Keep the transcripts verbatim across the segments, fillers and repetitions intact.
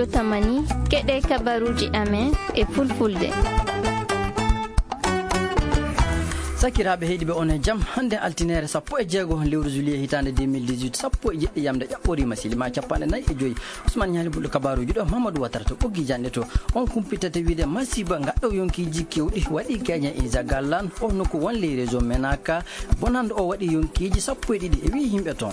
Tamani, keɗe kabaruji amen e fulfulde. Sakiraaɓe heɗiiɓe, on e jam. Hannde altineere sappo e jeego lewru juillet hitaande deux mille dix-huit, sappo e jeɗɗi yamde ƴaɓɓoriima, silima capanɗe nayi e joyi. Ousmane Ñaali Bulɗo kabaruji ɗo, Mamadou Watara to ɓoggi janɗe to. On kumpitata wiide masiiba ngaɗɗo yonkiiji kewɗi waɗi Kenya e Zagalan, o nokku won ley région Menaka. Bonande o waɗi yonkiiji sappo e ɗiɗi e wi yimɓe toon.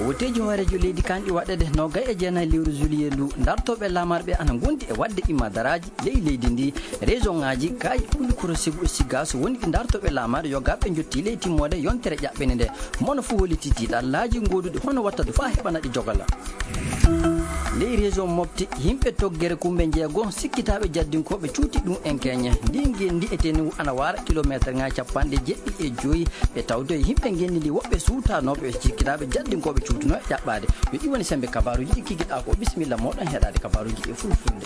Woteeji hooreejo leydi kanɗi waɗede nogay e jeenayi lewru juillet ndu, dartooɓe laamarɓe ana ngondi e waɗde imadaraaji ley leydi ndi. Région ŋaaji kay, Kulikoro, Segu e Sigaso woni ɗi dartooɓe laamarɓe yogaaɓe njotti ley timmoode yontere ƴaɓɓende nde. Mono fof holliti tiiɗallaaji gooduɗi hono wattadu faa heɓana ɗi jogala. Ley région Mopti, yimɓe toggere kumɓe njeego sikkitaaɓe jaddinkooɓe cuuti ɗum en keñe. Ndi ngenndi e tenewu ana waara kilomeeterŋaaji capanɗe jeɗɗi e joyi. Ɓe tawde yimɓe ngenndi ndi woɓɓe suutanooɓe, ɓe sikkitaaɓe jaddinkooɓe cuutunoo e ƴaɓɓaade. Yo ɗi woni semmbe kabaruuji ɗi kikiɗaa ko. Bisimilla mooɗon heɗaade kabaruuji ɗi e fulfulde.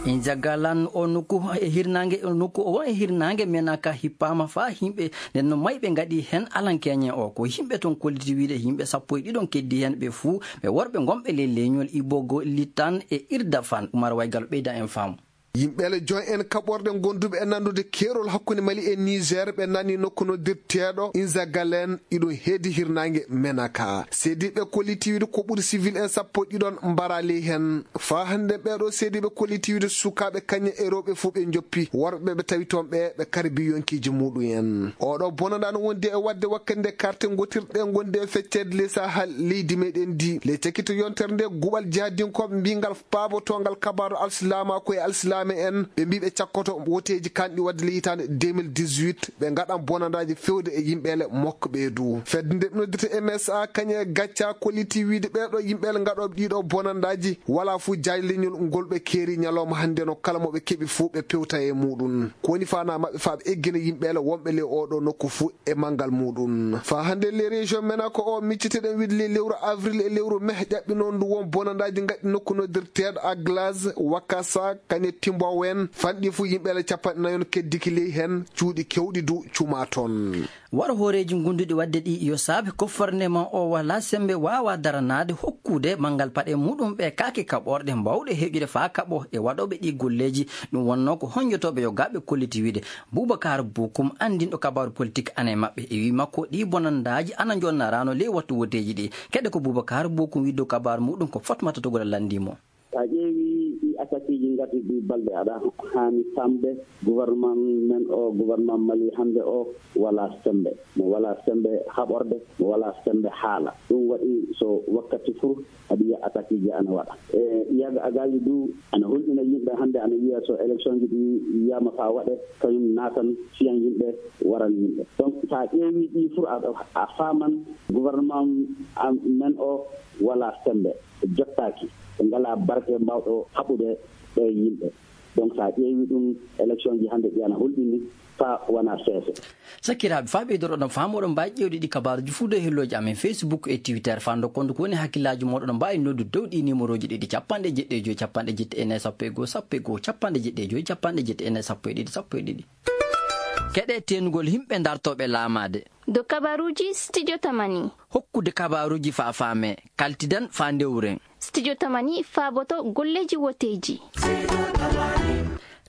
Injagalan o nokku e hirnaange, o nokku o e hirnaange Menaka hippaama faa yimɓe. Nden no mayɓe ngaɗi heen alankeeñe o, ko yimɓe toon kolliti wiide yimɓe sappo e ɗiɗon keddi heen, ɓe fuu ɓe worɓe ngonɓe ley leñol Ibogo Litan e Irdafan. Umar Waygal ɓeyda en faamu. Yimɓeele jon en kaɓorɗe gonduɓe e nandude keerol hakkunde Mali e Niger, ɓe nani nokku noddirteeɗo Inzagalen, iɗon heedi hirnaange Menaka. Seediiɓe kolliti wiide ko ɓuri civil en sappo e ɗiɗon mbara ley heen. Faa hannde ɓeeɗo seediiɓe kolliti wiide sukaaɓe kañe e rewɓe fuu ɓe njoppi, worɓe ɓe tawi toon ɓe ɓe karbi yonkiiji muuɗum en. Oɗo bonanɗaa no wondi e waɗde wakkati nde karte ngotirɗe ngondi e fecceede ley Sahel leydi meɗen ndi. Ley cakito yontere nde guɓal jihadinkooɓe mbiingal paabotoongal kabaaru alsilaamaaku e alsilaame en, ɓe mbii ɓe cakkoto woteeji kanɗi waɗde ley hitaande deux mille dix-huit, ɓe ngaɗan bonandaaji fewde e yimɓeele mokko ɓeedu. Fedde nde ɓe noddirta M S A kañe e gacca kolliti wiide ɓeeɗo yimɓeele ngaɗooɓe ɗiɗo bonandaaji, walaa fuu jaaj leñol ngol ɓe keeri ñalawma hannde no kala mo ɓe keɓi fuu ɓe pewta e muuɗum. Ko woni faanaa maɓɓe faa ɓe eggina yimɓeele wonɓe ley oɗo nokku fuu e manngal muuɗum. Faa hannde ley région Menaka o micciteɗen wiide ley lewru avril e lewru mai ƴaɓɓinoo ndu won bonandaaji ngaɗɗi nokku noddirteeɗo Aglaz, Wakasa, kañe Timbowen, fanɗi fuu yimɓeele capanɗe nayon keddiki ley heen, cuuɗi kewɗi du cuma toon. Waro hooreeji ngonduɗi waɗde ɗi yo saabe gouvernement o walaa semmbe waawa daranaade hokkude manngal paɗe muuɗum ɓe kaake kaɓorɗe mbaawɗe heƴude faa kaɓo e waɗooɓe ɗi golleeji. Ɗum wonnoo ko honjotooɓe yogaaɓe kolliti wiide. Boubacar Bokoum, anndinɗo kabaaru politik ana e maɓɓe, e wii makko ɗi bonandaaji ana njonnaraano ley wattu woteeji ɗi. Keɗe ko Boubacar Bokoum wi dow kabaaru muuɗum ko Fatmata Togola lanndii mo. So a ƴeewii ɗii attaqueeji ngarɗi ɗii balɗe aɗa haani faamde, gouvernement men o, gouvernement Mali hannde o, walaa semmbe. Mo walaa semmbe haɓorde, mo walaa semmbe haala. Ɗum waɗi so wakkati fuu aɗa yiya attaqueeji ana waɗa. E Yaga Agaji du ana hulɓina yimɓe hannde, ana wiya so élection ji ɗi yiyaama faa waɗe, kañum naatan siyan yimɓe, waran yimɓe. Donc, so a ƴeewii ɗii fuu, a, a faaman gouvernement am, men o walaa semmbe, jottaaki, ɓe ngalaa barke mbaawɗo haɓude ɓee yimɓe. Donc, so a ƴeewii ɗum, élection ji hannde ɗi ana hulɓini faa wona seese. Sakiraaɓe, faa ɓeydoro ɗon faamu, oɗon mbaawi ƴeewde ɗi kabaaruuji fuu dow hellooji amen Facebook e Twitter. Faa ndokkon ko woni hakkillaaji mooɗon, oɗon mbaawi noddude dow ɗi nimerooji ɗiɗi, capanɗe jeɗɗi e joy, capanɗe jeɗɗi e nayi, sappo e goo, sappo e ɗiɗi, sappo e jeɗɗi, capanɗe jeɗɗi e nayi, sappo e ɗiɗi, sappo e ɗiɗi. Keɗe teenugol yimɓe dartooɓe laamaade. Dow kabaaruuji Studio Tamani. Hokkude kabaaruuji faa faame, kaltidan faa ndewren. Studio Tamani faaboto golleeji woteeji.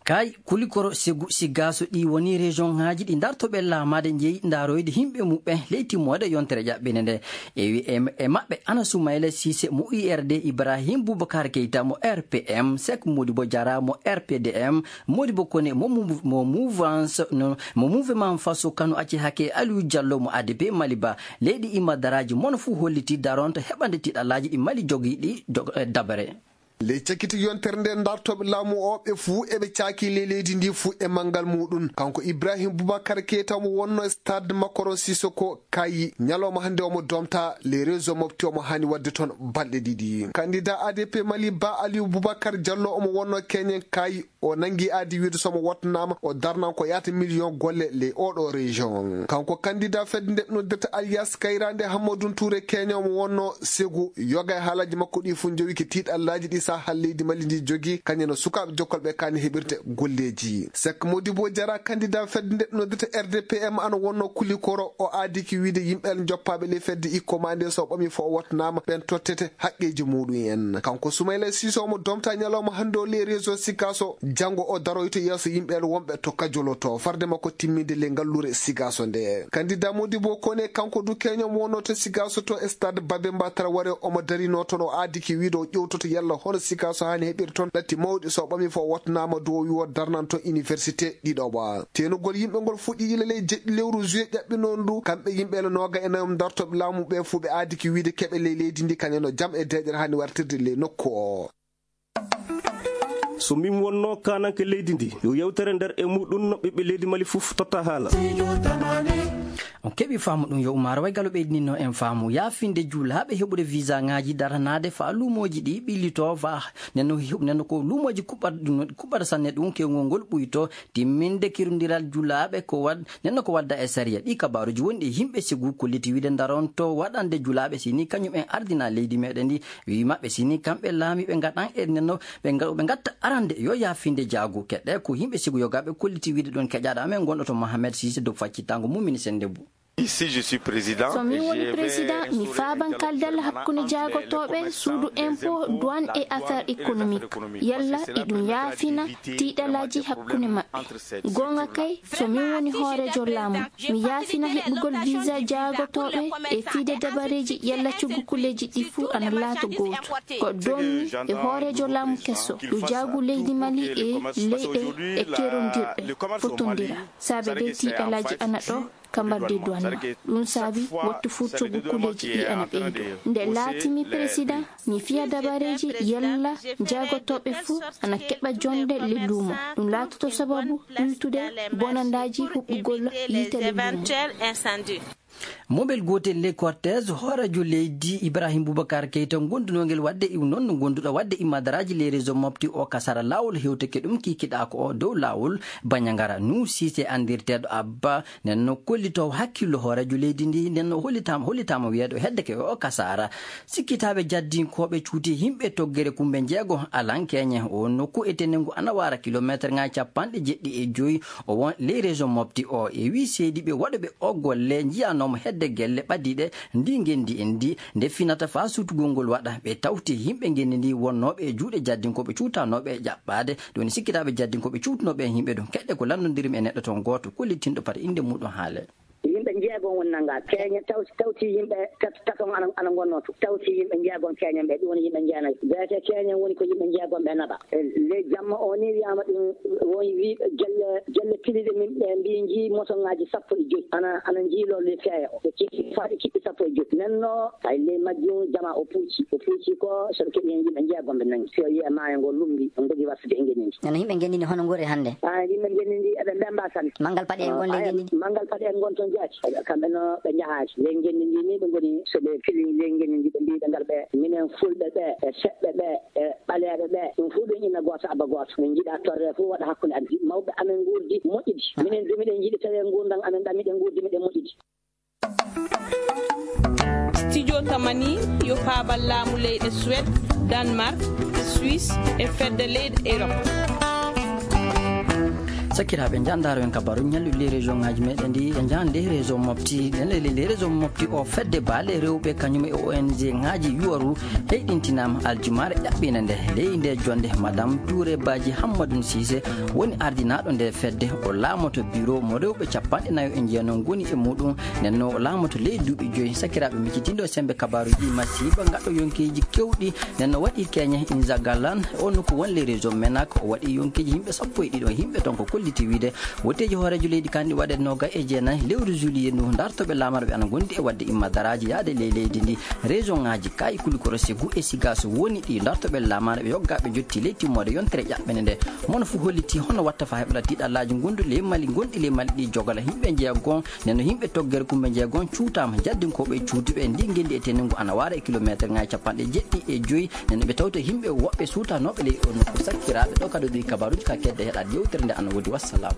Kay, Kulikoro, Segu, Sigaso, ɗi woni région ŋaaji ɗi dartooɓe laamaade njeyi ndaaroyde yimɓe muɓɓen ley timmoode yontere ƴaɓɓinde nde. E wi-, e, e maɓɓe ana Soumaïla Cissé mo U R D, Ibrahim Boubacar Keita mo R P M, Seck Modibo Diarra mo R P D M, Modibo Koné mo mou-, mo mouvance, no, mo mouvement Faso Kanu Acci Hake, Aliou Diallo mo A D P Mali Ba. Leydi Imma Daraaji mono fuu hollitii daronto heɓande tiiɗallaaji ɗi Mali jogii ɗi jog-, eh, dabare. Ley cakiti yontere nde, dartooɓe laamu o ɓe fuu eɓe caaki ley leydi ndi fuu e manngal muuɗum. Kanko Ibrahim Boubacar Keita omo wonno e stade Makoro Sissoko Kayi. Ñalawma hannde omo domta ley réseau Mopti, omo haani waɗde toon balɗe ɗiɗi. Candidat A D P Mali Ba Aliou Boubacar Diallo omo wonno keñen Kayi. O nangi aadi wiide so mo wottanaama, o darnan ko yaata miliyon golle ley oɗo région. Kanko candidat fedde nde noddirta Alias Kayrande Hammadou Touré, keño mo wonno segu, yoga e haalaaji makko ɗi fof njowi ki tiiɗallaaji ɗi saaha leydi Mali ndi jogi, kañum no sukaaɓe jokkolɓe kaani heɓirde golleeji. Sek Modibo Jara, candidat fedde nde noddirta R D P M, ana wonno kulikoro, o aadi ki wiide yimɓe joppaaɓe ley fedde ikko ma nde so ɓami fof o wottanaama, ɓen tottete haqqeeji muɗum en. Kanko Soumaïla Cissé mo domta ñalawma hannde o ley réseau Sikaso, janngo o daroyto yeeso yimɓe wonɓe to Kajolo to, farde makko timminde ley ngallure Sikaso nde. Candidat Modibo Kone, kanko du keño mo wonno to Sikaso to e stade Babemba Traoré, omo darino toon, o aadi ki wiide o ƴewtoto yalla hono Sikaso haani heɓirde toon ɗatti mawɗi, so ɓami fof o wottanaama du o wi o darnan toon université ɗiɗo ba. Teenugol yimɓe ngol fuɗɗi ila ley jeɗɗi lewru juillet ƴaɓɓi noon du, kamɓe yimɓe ele nooga e nayo dartoɓe laamu ɓe fuu ɓe aadi ki wiide keɓe ley leydi ndi kañum no jam e deeƴere haani wartirde ley nokku o. So min wonno kananke leydi ndi, yo yewtere nder e muɗum no ɓiɓɓe leydi Mali fof totta haala. On keɓi faamu ɗum yo umaaro way galo ɓeydinino en faamu yaafinde julaaɓe heɓude visa ŋaaji daranaade faa luumooji ɗi ɓillito faa nenno heɓ-, nenno ko luumooji kuɓɓat-, kuɓɓata sanne ɗum kewngol ngol ɓuyto timminde kirundiral julaaɓe ko wad-, nenno ko wadda e sariya. Ɗi kabaaruji woni ɗi yimɓe sigu kolliti wiide ndaronto waɗande julaaɓe sini kañum en ardina leydi meɗen ndi. Wi maɓɓe sini kamɓe laamiiɓe ngaɗan e nenno ɓe nga-, ɓe ngatta arande yo yaafinde jaagu. Keɗe ko yimɓe sigu yogaɓe kolliti wiide ɗon keƴaɗo amen gonɗo to Mohamed Cissé dow faccitango mum mini sende bu. Ici, je suis président. So mi woni président, mi faaban kaldal hakkunde jaagotooɓe suudu impôt, douane et affaires économiques. Yalla iɗum yaafina tiiɗalaaji hakkunde maɓɓe. Goonga kay, so min woni hooreejo laamu, mi yaafina heɓugol visa jaagotooɓe e fiide dabareeji yalla coggu kulleeji ɗi fuu ana laato gooto. Ko doommi e hooreejo laamu keso, ɗo jaagu leydi Mali e leyɗe e kerondirɗe fotondira. Saabe de tiiɗalaaji ana ɗo, ka mbardi douane ma. Ɗum saabi wattu fuu coggu kulleeji ɗi ana ɓeydo. Nde laatimi président, mi fiya dabareeji yalla jaagotooɓe fuu ana keɓa jonde le luumo. Ɗum laatoto sababu ɓuytude bonandaaji huɓɓugol yiite le luumo. Mobel gootel le cortège hooreejo leydi Ibrahim Boubacar Keita gondunongel waɗde iw noon no gonduɗo waɗde immadaraaji le réseau mofti o kasara laawol hewteke ɗum kikiɗa ko o dow laawol Bañangara. Nuu Siise anndirteeɗo Abba nden no kollitoowo hakkillo hooreejo leydi ndi, nden no hollitaama, hollitaama wiyeede o heddeke o kasaara. Sikkitaaɓe jaddinkooɓe cuuti yimɓe toggere kumbe njeego alankeeñe. O nokku e tenengu ana waara kilomeeterŋaaji capanɗe jeɗɗi e joyi. O won ley région mofti o. E wii seediiɓe waɗuɓe o golle njiyanoomo hedde gelle ɓadiiɗe ndi ngenndi en ndi, nde finata faa suutugol ngol waɗa. Ɓe tawti yimɓe ngenndi ndi wonnooɓe e juuɗe jaddinkooɓe cuutanooɓe e ƴaɓɓaade. Ɗum woni sikkitaaɓe jaddinkooɓe cuutunooɓe e yimɓe ɗum. Keɗɗe ko lanndondirmi e neɗɗo toon gooto kollitinɗo pati innde muuɗum haale. Yimɓe njeegon woni nanngaa. Keeñe taw-, tawti yimɓe tat-, taton ana, ana ngonnoo to. Tawti yimɓe njeegon keeñen ɓe, ɗum woni yimɓe njeenayo. Beete keeñen woni ko yimɓe njeegon ɓe naɓa. E ley jamma o ni wiyaama ɗum woni wi-, gelle, gelle piliɗe min ɓe mbi njii motoŋaaji sappo e joyi. Ana, ana njiiloo ley feeya o. Ɓe kiɓɓi faa ɓe kiɓɓi sappo e joyi. Nden no hay ley majjum jama o puuci. O puuci ko so ɓe keɓi heen yimɓe njeegon ɓe nangi. Si o yi'e maayo ngo lumbi, on ndogi wartude e ngenndi ndi. Nana yimɓe ngenndi ndi hono ngori hannde? Ah, yimɓe ngenndi ndi eɓe mbemba sanne. Manngal paɗe en ngon ley ngenndi ndi? Manngal paɗe en ngon toon jaati. Kamɓe no ɓe njahaali. Ley ngenndi ndi ni ɓe ngoni so ɓe fili ley ngenndi ndi ɓe mbiɗa ngal ɓe. Minen fulɓe ɓe, e seɓɓe ɓe, e ɓaleeɓe ɓe. Ɗum fof ɗum ina gooto abba gooto. Min njiɗa torre fof waɗa hakkunde amen. Mawɓe amen nguurdi moƴƴi. Minen du miɗen njiɗi tawi nguurndam amen ɗam miɗen nguurdi miɗen moƴƴi. Studio Tamani yo paabal laamu leyɗe Suède, Danemark, Suisse e fedde leyɗe Europe. Sakiraaɓe, njandaaro en kabaru ñalluɗi ley région ŋaaji meɗen ɗi, e njande région mofti, ɗen ley, ley région mofti o fedde baale rewɓe kañum e O N G ŋaaji yuwaru heyɗintinaama aljumaare ƴaɓɓiinde nde. Ley nde jonde, Madame Touré Badji Hammadou Cissé woni ardinaaɗo nde fedde, o laamoto bureau mo rewɓe capanɗe nayo e njeeno ngoni e muɗum. Nden no o laamoto ley duuɓi joyi. Sakiraaɓe, mi citindo sembe kabaaruji masiiba ngaɗɗo yonkeeji kewɗi. Nden no waɗi keñe Inzagalan, on ko won ley région Menak, o waɗi yonkeeji yimɓe sappo e ɗiɗo, yimɓe ton ko kolli Ti wiide, wotteeji hooreejo leydi kandi waɗe noga e jeenayi lewru juillet ndu, dartoɓe lamarɓe ana gondi e wadde imma daraaji yaade ley leydi ndi. Région ŋaaji kayi Kulikoro, Ségou e Siga so woni ɗi dartoɓe lamarɓe yoggaɓe jotti ley timmoode yontere ƴaɓɓende nde. Mono fu holliti hono watta fa heɓla tiɗallaaji gonduɗi ley Mali, gonɗi ley Mali ɗi jogala yimɓe jeegon. Nden no yimɓe toggere kumɓe jeegon cuutaama, jaddinkooɓe cuutuɓe e ndi ngenndi e tenengu ana waara e kilomeeter ŋaaji capanɗe jeɗɗi e joyi. Nden ɓe tawta yimɓe woɓɓe suutanooɓe ley o nokku sakkiraaɓe. Ɗo kadi ɗi kabaruuji ka kedde heɗaade yewtere nde ana woodi. Wassalam.